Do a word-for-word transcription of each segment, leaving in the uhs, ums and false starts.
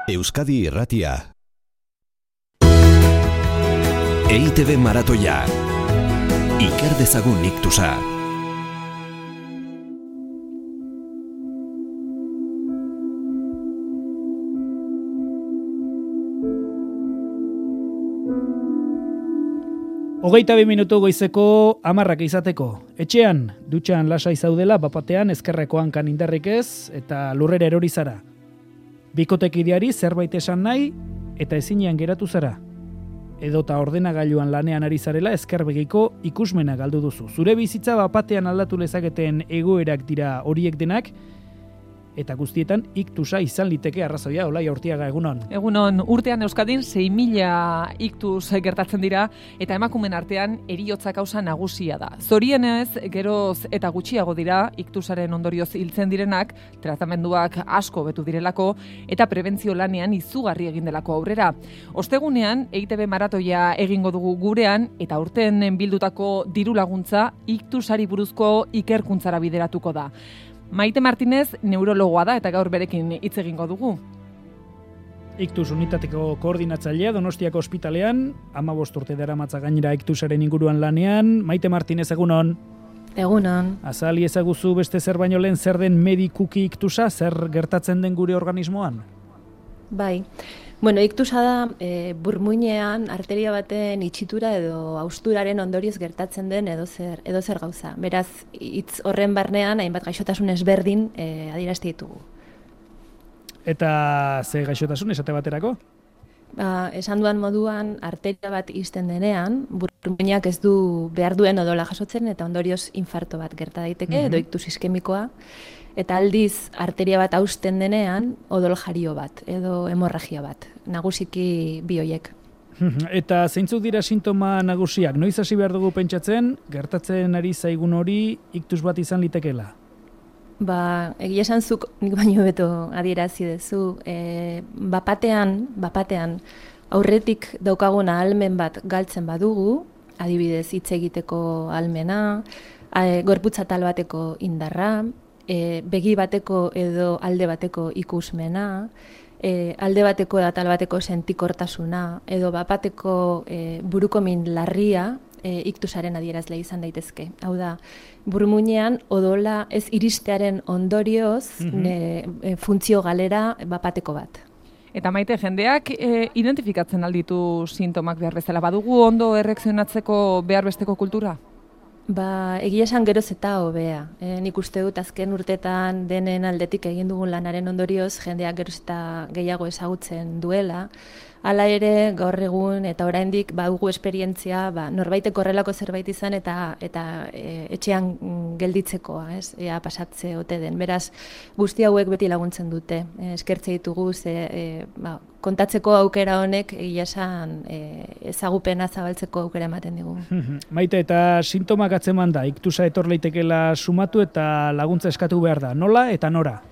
Euskadi Irratia. E I Te Be maratoia. Iker dezagun iktusa. Hogeita bi minutu goizeko hamarrak izateko. Etxean, dutxan lasai zaudela, bapatean ezkerreko hankan indarrik ez, eta lurrera erori zara. Bikotekideari zerbait esan nahi, eta ezinean geratu zara. Edota ordenagailuan lanean ari zarela ezkerbegiko ikusmena galdu duzu. Zure bizitza bapatean aldatu lezaketen egoerak dira horiek denak, eta guztietan iktusa izan liteke arrazoia. Olai Urtiaga, egunon. Egunon, urtean Euskadin sei mila iktus gertatzen dira, eta emakumen artean heriotza kausa nagusia da. Zorienez, geroz eta gutxiago dira iktusaren ondorioz hiltzen direnak, tratamenduak asko betu direlako, eta prebentzio lanean izugarri egin delako aurrera. Ostegunean, E I Te Be maratoia egingo dugu gurean, eta urten bildutako diru laguntza iktusari buruzko ikerkuntzara bideratuko da. Maite Martinez neurologoa da eta gaur berekin hitz egingo dugu. Iktus unitateko koordinatzailea Donostiako ospitalean, hamabost urte daramatza gainera iktusaren inguruan lanean. Maite Martinez, egunon. Egunon. Azali ezaguzu beste zer baino lehen zer den medikuki iktusa, zer gertatzen den gure organismoan? Bai. Bueno, iktusa da e, burmuinean arteria baten itxitura edo hausturaren ondorioz gertatzen den edo zer, edo zer gauza. Beraz, hitz horren barnean hainbat gaixotasun ezberdin e, adierazten ditugu. Eta ze gaixotasun esate baterako? Ba, esan duan moduan arteria bat ixten denean, burmuinak ez du behar duen odola jasotzen eta ondorioz infarto bat gerta daiteke, mm-hmm. edo iktus iskemikoa. Eta aldiz, arteria bat hausten denean, odol jario bat, edo hemorragia bat, nagusiki bi horiek. Eta zeintzuk dira sintoma nagusiak? Noiz hasi behar dugu pentsatzen, gertatzen ari zaigun hori iktus bat izan litekeela? Ba, egia esan zuk nik baino beto adierazi dezu, e, bapatean, bapatean, aurretik daukaguna ahalmen bat galtzen badugu, adibidez hitz egiteko ahalmena, e, gorputz atal bateko indarra, E, begi bateko edo alde bateko ikusmena, e, alde bateko edo atal bateko sentikortasuna, edo bapateko e, buruko min larria e, iktusaren adierazle izan daitezke. Hau da, burmuinean odola ez iristearen ondorioz mm-hmm. ne, e, funtzio galera bapateko bat. Eta Maite, jendeak e, identifikatzen alditu sintomak behar bezala. Badugu ondo erreakzionatzeko behar besteko kultura? Ba, egia esan geroz eta hobea. E, nik uste dut azken urtetan denen aldetik egin dugun lanaren ondorioz jendeak geroz eta gehiago ezagutzen duela. Hala ere, gaur egun eta oraindik badugu esperientzia, ba, norbaitek horrelako zerbait izan eta eta e, etxean gelditzekoa, ez? Ea pasatze ote den. Beraz, guzti hauek beti laguntzen dute. E, eskertze ditugu ze e, ba, kontatzeko aukera honek egia esan e, ezagupena zabaltzeko aukera ematen digu. Maite, eta sintomak atzeman da, iktusa etor leitekela sumatu eta laguntza eskatu behar da. Nola eta nora?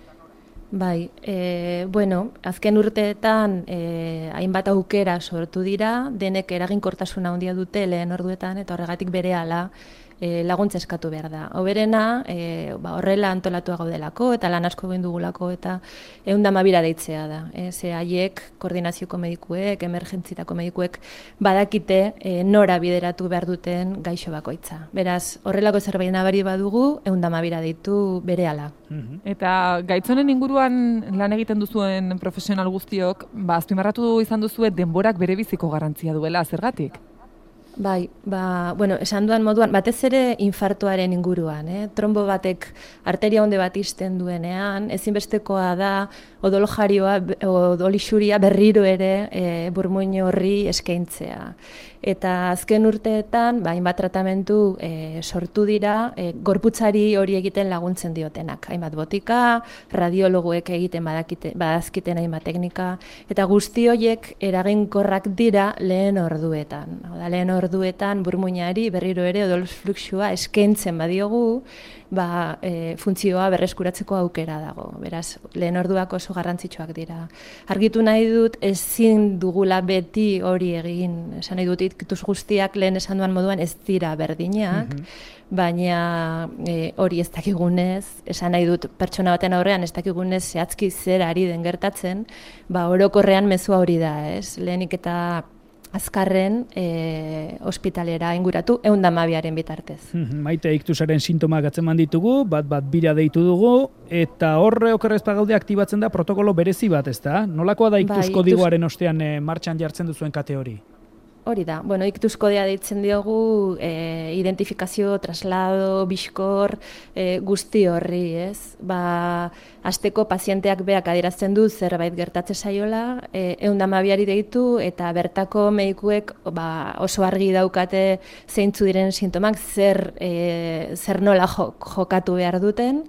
Bai, e, bueno, azken urteetan e, hainbat aukera sortu dira, denek eraginkortasuna handia dute lehen orduetan eta horregatik berehala e, laguntza eskatu behar da. Hoberena, e, ba, horrela antolatua gaudelako eta lan asko egin dugulako eta ehun eta hamabira deitzea da. E, ze haiek, koordinazioko medikuek, emergentzietako medikuek badakite e, nora bideratu behar duten gaixo bakoitza. Beraz, horrelako zerbait nabari badugu, ehun eta hamabira deitu berehala. Eta gaitzonen inguruan lan egiten duzuen profesional guztiok, ba, azpimarratu izan duzue denborak berebiziko garrantzia duela, zergatik? Bai, ba, bueno, esan duan moduan, batez ere infartoaren inguruan, eh? Trombo batek arteria honde bat ixten duenean, ezinbestekoa da odol jarioa, odol isuria berriro ere e, burmuin horri eskaintzea. Eta azken urteetan, ba, hainbat tratamentu e, sortu dira, e, gorputzari hori egiten laguntzen diotenak. Hainbat botika, radiologoek egiten badakite, badazkiten hainbat teknika, eta guzti horiek eraginkorrak dira lehen orduetan. Oda, lehen orduetan burmuinari berriro ere odol fluxua eskaintzen badiogu, ba, e, funtzioa berreskuratzeko aukera dago. Beraz, lehen orduak oso garrantzitsuak dira. Argitu nahi dut, ezin dugula beti hori egin. Esan nahi dut, iktus guztiak lehen esan duan moduan ez dira berdinak, baina e, hori ez dakigunez, esan nahi dut pertsona baten aurrean ez dakigunez zehazki zer ari den gertatzen, ba orokorrean mezua hori da, ez? Lehenik eta azkarren e, ospitalera inguratu ehun eta hamabiaren bitartez. Maite, iktusaren sintomak atzeman ditugu, bat bat bira deitu dugu, eta horre okerrez pagaude aktibatzen da protokolo berezi bat, ez da? Nolakoa da iktus Bai, kodigoaren ostean e, martxan jartzen duzuen kate hori? Hori da, bueno, iktus kodea deitzen diogu, e, identifikazio, traslado, bizkor, e, guzti horri, ez? Ba, hasteko pazienteak beak adierazten du zerbait gertatze saiola, e, ehun eta hamabiari deitu, eta bertako medikuek ba, oso argi daukate zeintzu diren sintomak, zer, e, zer nola jokatu behar duten,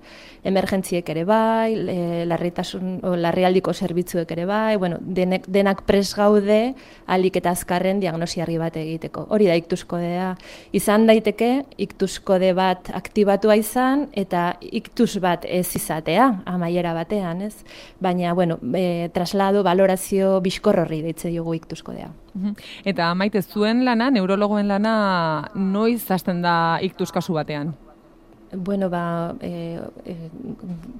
emergentziek ere bai, e, larritasun, o, larrialdiko zerbitzuek ere bai, bueno, denek, denak pres gaude ahalik eta azkarren diagnosi argi bat egiteko. Hori da iktus kodea. Izan daiteke iktus kode bat aktibatua izan eta iktus bat ez izatea, amaiera batean, ez? Baina, bueno, e, traslado, valorazio, bizkor horri deitze diogu iktus kodea. Eta Maite, zuen lana, neurologoen lana, noiz hasten da iktus kasu batean? Bueno, ba, e, e,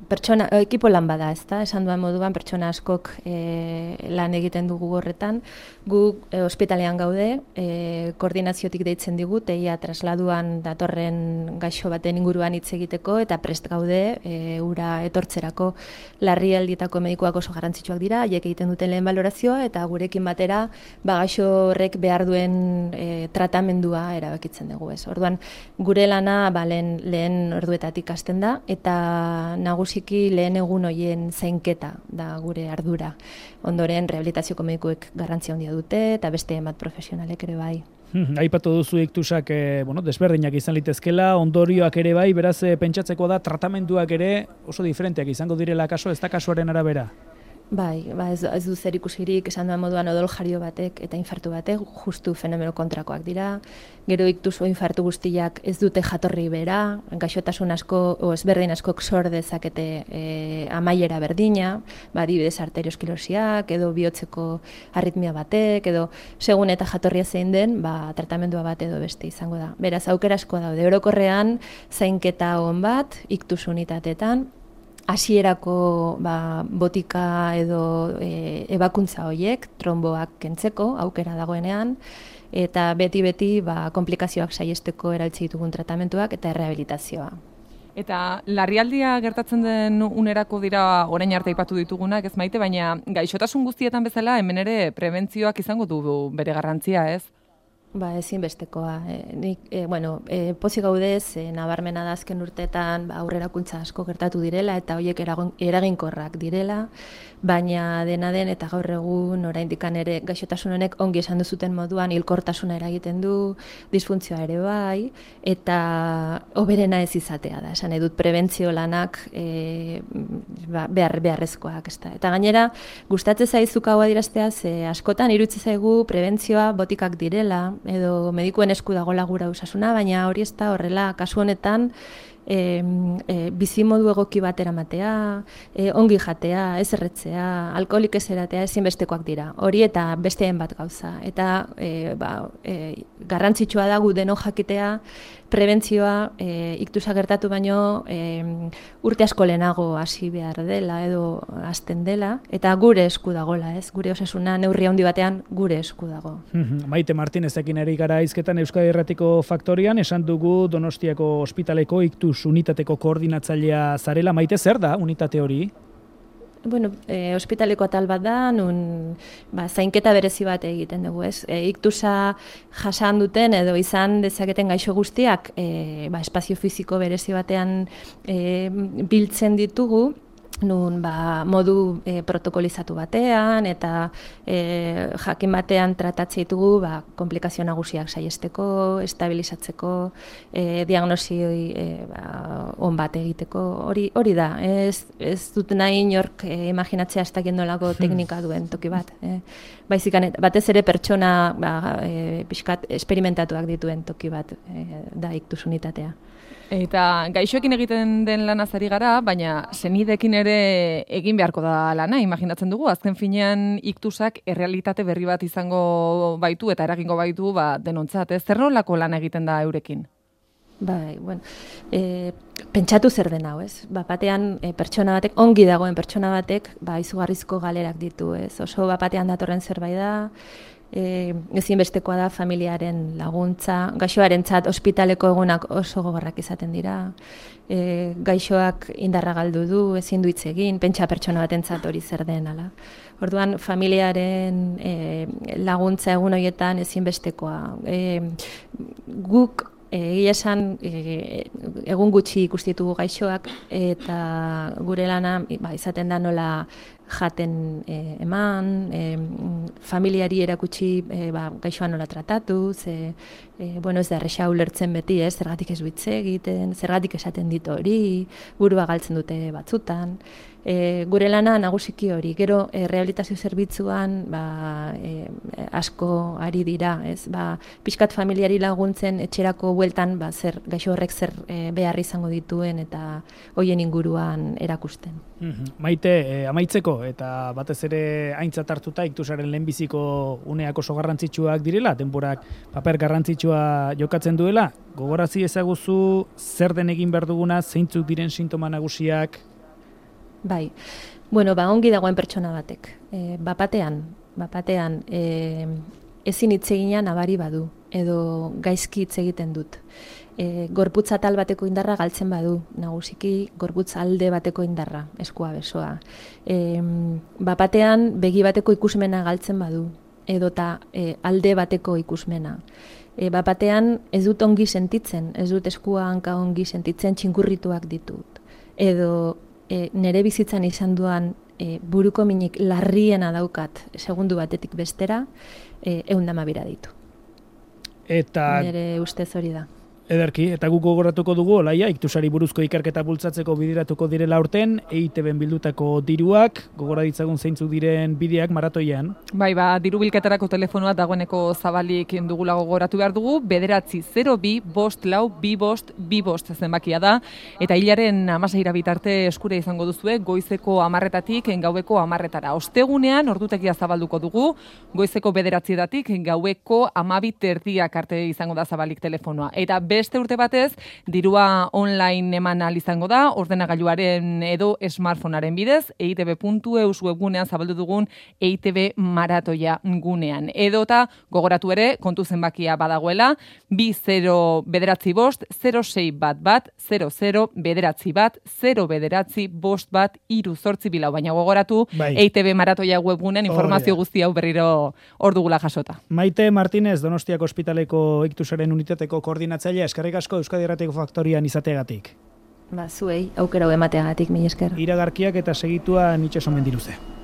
pertsona, ekipo lan bada, ez da? Esan duan moduan, pertsona askok e, lan egiten dugu horretan. Gu e, ospitalean gaude, e, koordinaziotik deitzen digu, teia trasladuan datorren gaixo baten inguruan hitz egiteko, eta prest gaude, e, ura etortzerako larrialditako medikuak oso garrantzitsuak dira, haiek egiten duten lehen balorazioa, eta gurekin batera, ba, gaixo horrek behar duen e, tratamendua erabakitzen dugu, ez? Orduan, gure lana, ba, lehen, lehen orduetatik hasten da, eta nagusiki lehen egun hoien zainketa da gure ardura. Ondoren, rehabilitazioko medikuek garrantzia handia dute, eta beste bat profesionalek ere bai. Aipatu duzu iktusak e, bueno, desberdinak izan litezkela, ondorioak ere bai, beraz e, pentsatzeko da tratamenduak ere oso diferenteak izango direla kaso, ez da kasuaren arabera? Bai, ba ez, ez du zer ikusirik esan duan moduan odol jario batek eta infartu batek justu fenomeno kontrakoak dira. Gero iktus o infartu guztiak ez dute jatorri bera, gaixotasun asko o ezberdin askok sor dezakete e, amaiera berdina, ba adibidez arteriosklerosiak edo bihotzeko arritmia batek edo segun eta jatorria zein den, ba tratamendua bat edo beste izango da. Beraz aukera asko daude. Orokorrean zainketa on bat iktus unitateetan hasierako ba, botika edo e, ebakuntza horiek, tromboak kentzeko aukera dagoenean, eta beti-beti ba, komplikazioak saihesteko erabiltzen ditugun tratamentuak eta errehabilitazioa. Eta larrialdia gertatzen den unerako dira orain arte aipatu ditugunak, ez Maite, baina gaixotasun guztietan bezala hemen ere prebentzioak izango du bere garrantzia, ez? Ba, ezinbestekoa. E, nik, e, bueno, e, pozik gaudez, e, nabarmena da azken urteetan ba, aurrerakuntza asko gertatu direla eta horiek eraginkorrak direla, baina dena den eta gaur egun oraindikan ere gaixotasun honek ongi esan duzuten moduan hilkortasuna eragiten du, disfuntzioa ere bai, eta hoberena ez izatea da. Esan edut prebentzio lanak e, ba, behar, beharrezkoak. Ez da. Eta gainera, gustatzen zaizuk hau adieraztea, ze askotan iruditzen zaigu prebentzioa botikak direla, edo medikuen esku dagoela gura osasuna, baina hori ez da horrela, kasu honetan e, e, bizimodu egoki bat eramatea, e, ongi jatea, ez erretzea, alkoholik ez eratea ezinbestekoak dira. Hori eta besteen bat gauza. Eta e, ba, e, garrantzitsua da gu deno jakitea prebentzioa e, iktusa gertatu baino e, urte asko lehenago hasi behar dela edo hasten dela, eta gure esku dagola, ez? Gure osasuna neurri handi batean gure esku dago. Maite Martinezekin ari gara hizketan Euskadi Irratiko Faktorian, esan dugu Donostiako ospitaleko iktus unitateko koordinatzailea zarela. Maite, zer da unitate hori? Bueno, e, ospitaleko atal bat da, nun ba, zainketa berezi bat egiten dugu, ez? E, iktusa jasan duten edo izan dezaketen gaixo guztiak e, ba, espazio fisiko berezi batean e, biltzen ditugu, nun ba, modu e, protokolizatu batean eta e, jakin batean tratatzea ditugu ba, komplikazio nagusiak saihesteko, estabilizatzeko, e, diagnosi e, ba, on bat egiteko, hori hori da. Ez, ez dut nahi inork e, imaginatzea ez dakien nolako teknika duen toki bat. E, baizik, batez ere pertsona ba, e, pixkat esperimentatuak dituen toki bat e, da iktus unitatea. Eta gaixoekin egiten den lanaz ari gara, baina senidekin ere egin beharko da lana, imaginatzen dugu. Azken finean iktusak errealitate berri bat izango baitu eta eragingo baitu ba, denontzat. Ez zer nolako lan egiten da eurekin? Bai, bueno, e, pentsatu zer den hau, ez? Ba, batean e, pertsona batek, ongi dagoen pertsona batek, ba, izugarrizko galerak ditu, ez? Oso bapatean datorren zerbait da, E, ezinbestekoa da familiaren laguntza, gaixoarentzat ospitaleko egunak oso gogorrak izaten dira, e, gaixoak indarra galdu du, ezin du hitz egin, pentsa pertsona batentzat hori zer den, ala. Orduan, familiaren e, laguntza egun horietan ezinbestekoa. E, guk egia esan e, egun gutxi ikustitugu gaixoak eta gure lana ba, izaten da nola jaten e, eman, e, familiari erakutsi e, ba, gaixoa nola tratatu, ze, e, bueno, ez da erresa ulertzen beti, ez, zergatik ez du hitz egiten, zergatik esaten dit hori, burua galtzen dute batzutan. E, gure lana nagusiki hori, gero e, rehabilitazio zerbitzuan ba, e, asko ari dira, ez, ba, pixkat familiari laguntzen etxerako bueltan ba, zer, gaixo horrek zer e, behar izango dituen eta hoien inguruan erakusten. Mm-hmm. Maite, e, amaitzeko eta batez ere aintzat hartuta iktusaren lehenbiziko uneak oso garrantzitsuak direla, denborak paper garrantzitsua jokatzen duela, gogorazi ezaguzu zer den egin behar duguna, zeintzuk diren sintoma nagusiak? Bai, bueno, ba, ongi dagoen pertsona batek. E, bapatean, bapatean e, ezin hitz egina nabari badu, edo gaizki hitz egiten dut. E, gorputz atal bateko indarra galtzen badu, nagusiki gorputz alde bateko indarra, eskua besoa. E, bapatean begi bateko ikusmena galtzen badu, edota e, alde bateko ikusmena. E, bapatean ez dut ongi sentitzen, ez dut eskua hanka ongi sentitzen, txinkurrituak ditut. Edo E, nere bizitzan izan duan e, buruko minik larriena daukat segundu batetik bestera, e, eundamabira ditu. Eta nere ustez hori da. Ederki, eta guk gogoratuko dugu, Olaia, iktusari buruzko ikerketa bultzatzeko bideratuko direla urten, E I T B-en bildutako diruak, gogora ditzagun zeintzuk diren bideak maratoian. Bai, ba, diru bilketarako telefonoa dagoeneko zabalik dugula gogoratu behar dugu, bederatzi zero bi bost lau bi bost bi bost zenbakia da, eta hilaren amaseira bitarte eskure izango duzue, goizeko amarretatik gaueko amarretara. Ostegunean, ordutegia zabalduko dugu, goizeko bederatzietatik gaueko amabit erdiak arte izango da zabalik telefonoa. Eta beste urte batez, dirua online eman ahal izango da, ordenagailuaren edo smartphonearen bidez, e i te be puntu e u webgunean zabaldu dugun E I T B maratoia gunean. Edota, gogoratu ere, kontu zenbakia badagoela, bi zero bederatzi bost, zero sei bat bat, zero zero bederatzi bat, zero bederatzi bost bat, iru zortzi bilau, baina gogoratu, bai. E I T B maratoia webgunean informazio guzti hau berriro hor dugula jasota. Maite Martinez, Donostiako Ospitaleko iktusaren unitateko koordinatzailea, eskerrik asko Euskadi Irratiko Faktorian izateagatik. Ba, zuei, aukera emateagatik, mila esker. Iragarkiak eta segitua Itxaso Mendiluze.